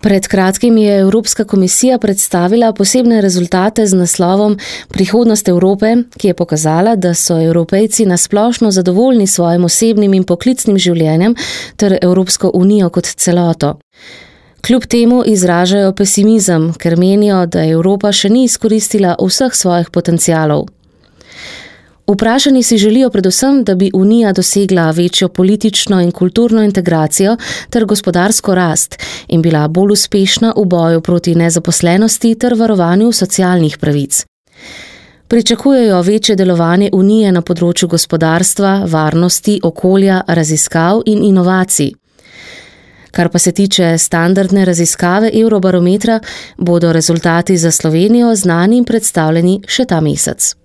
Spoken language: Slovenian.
Pred kratkim je Evropska komisija predstavila posebne rezultate z naslovom Prihodnost Evrope, ki je pokazala, da so Evropejci nasplošno zadovoljni s svojim osebnim in poklicnim življenjem ter Evropsko unijo kot celoto. Kljub temu izražajo pesimizem, ker menijo, da Evropa še ni izkoristila vseh svojih potencialov. Vprašani si želijo predvsem, da bi Unija dosegla večjo politično in kulturno integracijo ter gospodarsko rast in bila bolj uspešna v boju proti nezaposlenosti ter varovanju socialnih pravic. Pričakujejo večje delovanje Unije na področju gospodarstva, varnosti, okolja, raziskav in inovacij. Kar pa se tiče standardne raziskave Eurobarometra, bodo rezultati za Slovenijo znani in predstavljeni še ta mesec.